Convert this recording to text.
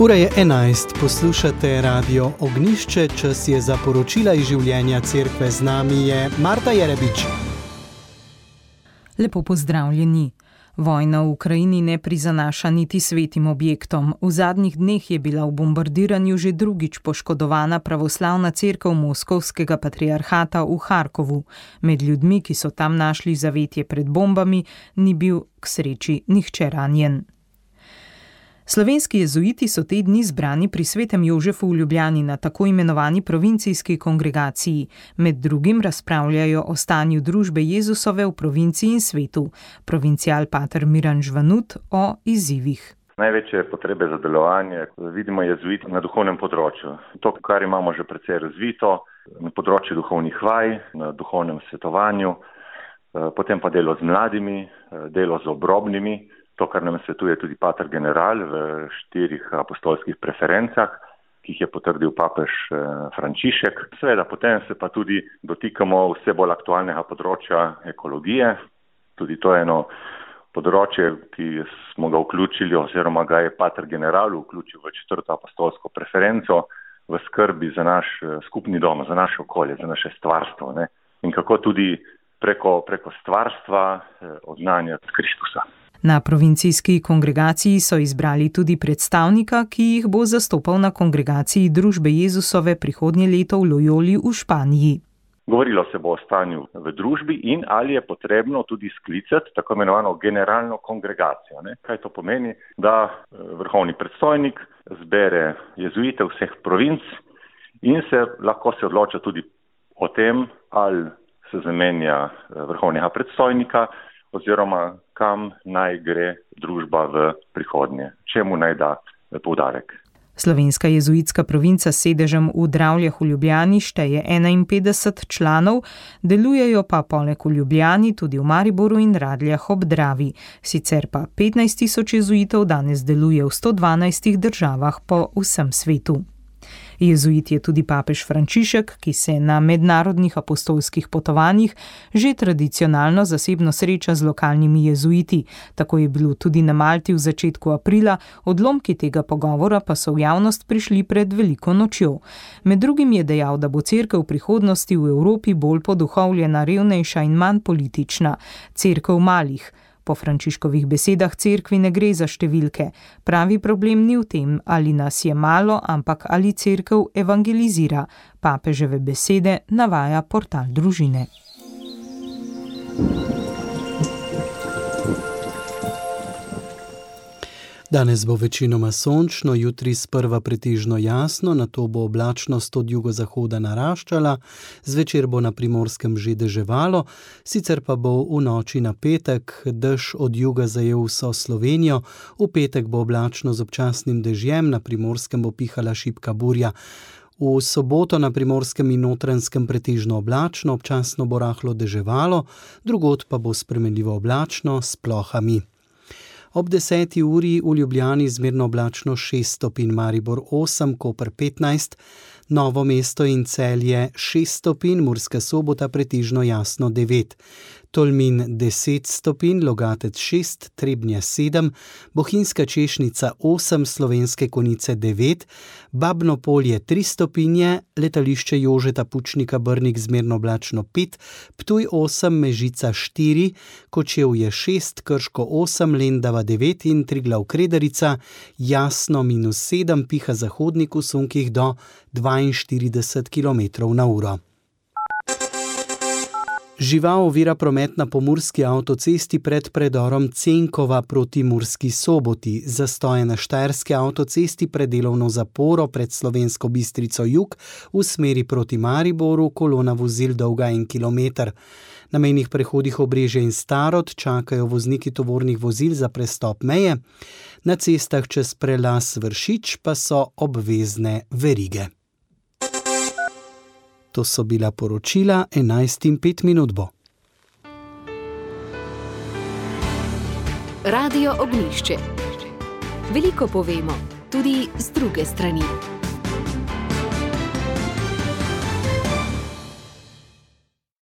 Ura je 11, poslušate Radio Ognjišče, čas je za poročila iz življenja cerkve. Z nami je Marta Jerebič. Lepo pozdravljeni. Vojna v Ukrajini ne prizanaša niti svetim objektom. V zadnjih dneh je bila v bombardiranju že drugič poškodovana pravoslavna cerkev Moskovskega patriarhata v Harkovu. Med ljudmi, ki so tam našli zavetje pred bombami, ni bil k sreči nihče ranjen. Slovenski jezuiti so te dni zbrani pri svetem Jožefu v Ljubljani na tako imenovani provincijski kongregaciji. Med drugim razpravljajo o stanju družbe Jezusove v provinciji in svetu. Provincial pater Miran Žvanut o izzivih. Največje potrebe za delovanje vidimo jezuiti na duhovnem področju. To, kar imamo že precej razvito, na področju duhovnih vaj, na duhovnem svetovanju, potem pa delo z mladimi, delo z obrobnimi. To, kar nam svetuje tudi pater general v 4 apostolskih preferencah, ki jih je potrdil papež Frančišek. Seveda, potem se pa tudi dotikamo vse bolj aktualnega področja ekologije. Tudi to je eno področje, ki smo ga vključili, oziroma ga je pater general vključil v 4. apostolsko preferenco v skrbi za naš skupni dom, za naše okolje, za naše stvarstvo. Ne? In kako tudi preko stvarstva oznanjati Kristusa. Na provincijski kongregaciji so izbrali tudi predstavnika, ki jih bo zastopal na kongregaciji družbe Jezusove prihodnje leto v Lojoli v Španiji. Govorilo se bo o stanju v družbi in ali je potrebno tudi sklicati tako imenovano generalno kongregacijo. Ne? Kaj to pomeni? Da vrhovni predstojnik zbere jezuite vseh provinc in lahko se odloča tudi o tem, ali se zamenja vrhovnega predstojnika oziroma kam naj gre družba v prihodnje, čemu naj da poudarek. Slovenska jezuitska provinca s sedežem v Dravljah v Ljubljani šteje 51 članov, delujejo pa poleg v Ljubljani tudi v Mariboru in Radljah ob Dravi. Sicer pa 15.000 jezuitov danes deluje v 112 državah po vsem svetu. Jezuit je tudi papež Frančišek, ki se na mednarodnih apostolskih potovanjih že tradicionalno zasebno sreča z lokalnimi jezuiti. Tako je bilo tudi na Malti v začetku aprila, odlomki tega pogovora pa so v javnost prišli pred veliko nočjo. Med drugim je dejal, da bo cerkev v prihodnosti v Evropi bolj poduhovljena, revnejša in manj politična. Cerkev malih. Po Frančiškovih besedah cerkvi ne gre za številke. Pravi problem ni v tem, ali nas je malo, ampak ali cerkev evangelizira. Papeževe besede navaja portal Družine. Danes bo večinoma sončno, jutri sprva pretežno jasno, nato bo oblačnost od jugozahoda naraščala, zvečer bo na Primorskem že deževalo, sicer pa bo v noči na petek dež od juga zajel vso Slovenijo, v petek bo oblačno z občasnim dežjem, na Primorskem bo pihala šibka burja. V soboto na Primorskem in Notranjskem pretežno oblačno, občasno bo rahlo deževalo, drugod pa bo spremenljivo oblačno s plohami. Ob 10. uri v Ljubljani zmerno oblačno 6 stopinj, Maribor 8, Koper 15, Novo mesto in Celje 6 stopinj, Murska Sobota pretežno jasno 9, Tolmin 10 stopinj, Logatec 6, Trebnje 7, Bohinjska Češnica 8, Slovenske Konjice 9, Babno Polje 3 stopinje, Letališče Jožeta Pučnika Brnik zmerno oblačno 5, Ptuj 8, Mežica 4, Kočevje 6, Krško 8, Lendava 9 in Triglav Kredarica jasno -7, piha zahodnik v sunkih do 42 km/h. Žival ovira promet na pomurski avtocesti pred predorom Cenkova proti Murski Soboti. Zastoje na štajerski avtocesti pred delovno zaporo pred Slovensko Bistrico jug v smeri proti Mariboru, kolona vozil dolga 1 kilometer. Na mejnih prehodih Obrežje in Starod čakajo vozniki tovornih vozil za prestop meje. Na cestah čez prelaz Vršič pa so obvezne verige. To so bila poročila, 11:05 bo. Radio Ognjišče. Veliko povemo, tudi z druge strani.